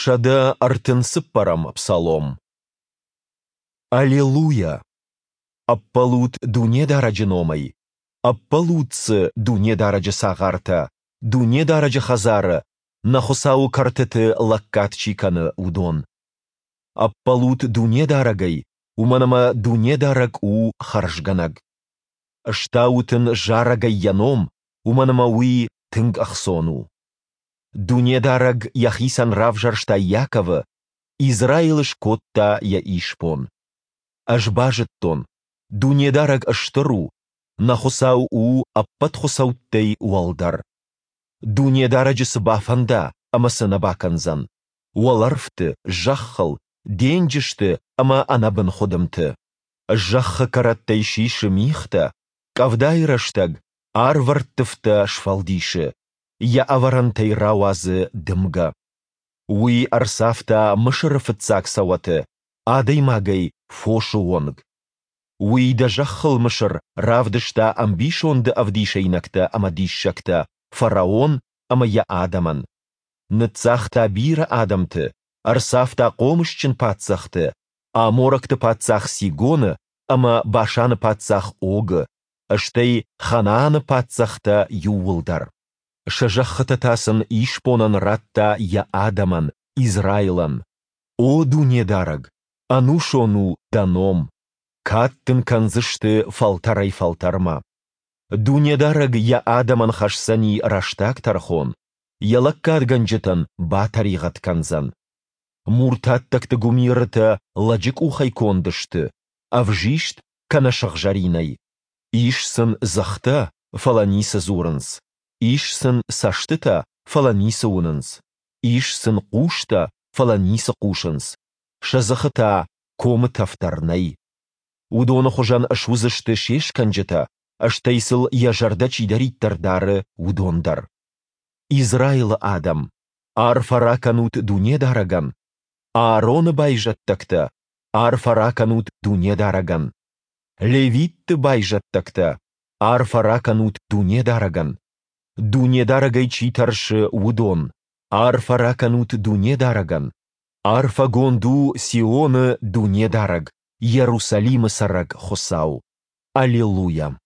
134-ӕм псалом. Алелуйа! Ӕппӕлут Дунедарӕджы номӕй, ӕппӕлут Дзы, Дунедарӕджы цагъартӕ, Дунедарӕджы хӕдзары, нӕ Хуыцауы кӕртыты лӕггад чи кӕны, уыдон. Ӕппӕлут Дунедарӕгӕй, уымӕн ӕмӕ Дунедарӕг у хӕрзгӕнӕг. Стаут Ын зарӕгӕй Йӕ ном, уымӕн ӕмӕ уый тынг ӕхцон у. Дунедарӕг Йӕхицӕн равзӕрста Иаковы, Израилы скодта Йӕ исбон. Ӕз базыдтон, Дунедарӕг стыр у, нӕ Хуыцау у ӕппӕт хуыцӕуттӕй уӕлдӕр. Дунедарӕджы цы бафӕнда ӕмӕ цы нӕ бакӕндзӕн, уӕлӕрвты, зӕххыл, денджызты ӕмӕ ӕнӕбын хуыдымты. Зӕххы кӕрӕттӕй сисы мигътӕ, къӕвдайы рӕстӕг арвӕрттывтӕ сфӕлдисы, йӕ ӕвӕрӕнтӕй рауадзы дымгӕ. Уый ӕрцавта Мысыры фыццаг цӕуӕты, адӕймагӕй фосы онг. Уый дӕ зӕххыл Мысыр равдыста ӕмбисонды ӕвдисӕйнӕгтӕ ӕмӕ диссӕгтӕ фараон ӕмӕ йӕ адӕмӕн. Ныццагъта бирӕ адӕмты, ӕрцавта хъомысджын паддзӕхты, аморӕгты паддзах Сигоны ӕмӕ Башаны паддзах Огы, стӕй Ханааны паддзӕхтӕ иууылдӕр. Сӕ зӕххытӕ та сын исбонӕн радта йӕ адӕмӕн, Израилӕн. О Дунедарӕг, ӕнусон у Дӕ ном, кад Дын кӕндзысты фӕлтӕрӕй-фӕлтӕрмӕ. Дунедарӕг Йӕ адӕмӕн хӕсдзӕни рӕстаг тӕрхон, Йӕ лӕггадгӕнджытӕн батӕригъӕд кӕндзӕн. Муртаттӕгты гуымирытӕ лӕджы къухӕй конд сты, ӕвзист кӕнӕ сыгъзӕринӕй. Ис сын дзыхтӕ, фӕлӕ ницы дзурынц, ис сын цӕстытӕ, фӕлӕ ницы уынынц, ис сын хъустӕ, фӕлӕ ницы хъусынц, сӕ дзыхы та комы тӕф дӕр нӕй. Уыдоны хуызӕн суыдзысты се скӕнджытӕ, стӕй сыл йӕ зӕрдӕ чидӕриддӕр дары, уыдон дӕр. Израилы адӕм, арфӕ ракӕнут Дунедарӕгӕн, Аароны байзӕддӕгтӕ, арфӕ ракӕнут Дунедарӕгӕн. Левитты байзӕддӕгтӕ, арфӕ ракӕнут Дунедарӕгӕн. Дунедарӕгӕй чи тӕрсы, уыдон, арфӕ ракӕнут Дунедарӕгӕн. Арфӕгонд у Сионы Дунедарӕг, Иерусалимы цӕрӕг Хуыцау. Аллилуйа!